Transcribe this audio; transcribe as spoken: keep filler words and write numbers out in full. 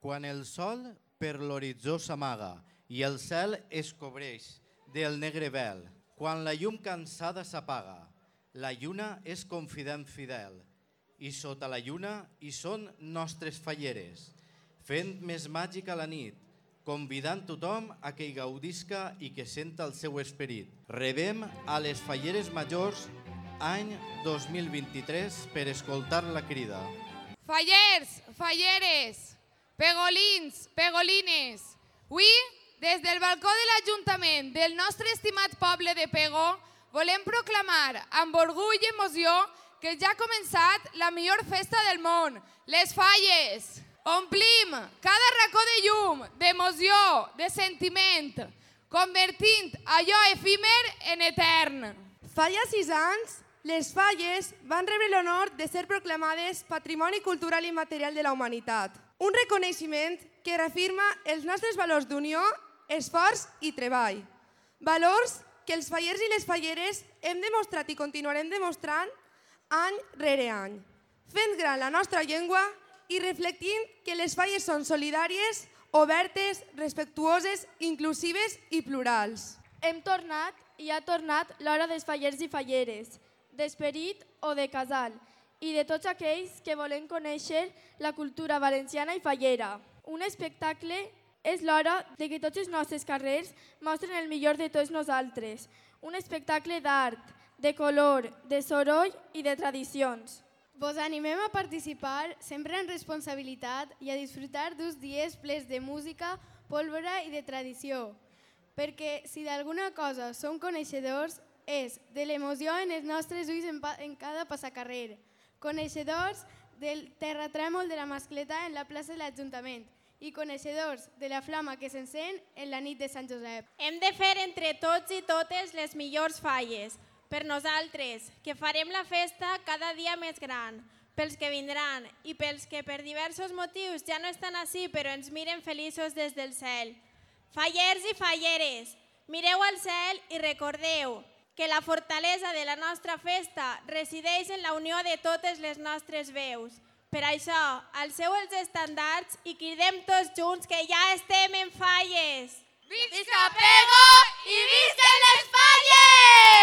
Quan el sol per l'horitzó s'amaga i el cel es cobreix del negre vel, quan la llum cansada s'apaga, la lluna és confident fidel i sota la lluna hi són nostres falleres, fent més màgica la nit, convidant tothom a que hi gaudisca i que senta el seu esperit. Rebem a les falleres majors any dos mil vint-i-tres per escoltar la crida. Fallers, falleres, pegolins, pegolines, avui, des del balcó de l'Ajuntament del nostre estimat poble de Pego, volem proclamar amb orgull i emoció que ja ha començat la millor festa del món, les Falles. Omplim cada racó de llum, d'emoció, de sentiment, convertint allò efímer en etern. Fa ja sis anys, les Falles van rebre l'honor de ser proclamades Patrimoni Cultural i Immaterial de la Humanitat. Un reconeixement que reafirma els nostres valors d'unió, esforç i treball. Valors que els fallers i les falleres hem demostrat i continuarem demostrant any rere any, fent gran la nostra llengua i reflectint que les falles són solidàries, obertes, respectuoses, inclusives i plurals. Hem tornat i ha tornat l'hora dels fallers i falleres, d'esperit o de casal, i de tots aquells que volen conèixer la cultura valenciana i fallera. Un espectacle és l'hora de que tots els nostres carrers mostren el millor de tots nosaltres. Un espectacle d'art, de color, de soroll i de tradicions. Vos animem a participar sempre en responsabilitat i a disfrutar d'uns dies plens de música, pólvora i de tradició. Perquè si d'alguna cosa som coneixedors és de l'emoció en els nostres ulls en, en cada passacarrer. Coneixedors del terratrèmol de la mascleta en la plaça de l'Ajuntament i coneixedors de la flama que s'encén en la nit de Sant Josep. Hem de fer entre tots i totes les millors falles, per nosaltres, que farem la festa cada dia més gran, pels que vindran i pels que per diversos motius ja no estan ací però ens miren feliços des del cel. Fallers i falleres, mireu al cel i recordeu que la fortalesa de la nostra festa resideix en la unió de totes les nostres veus. Per això, alceu els estandards i cridem tots junts que ja estem en falles! Visca Pego i visquen les Falles!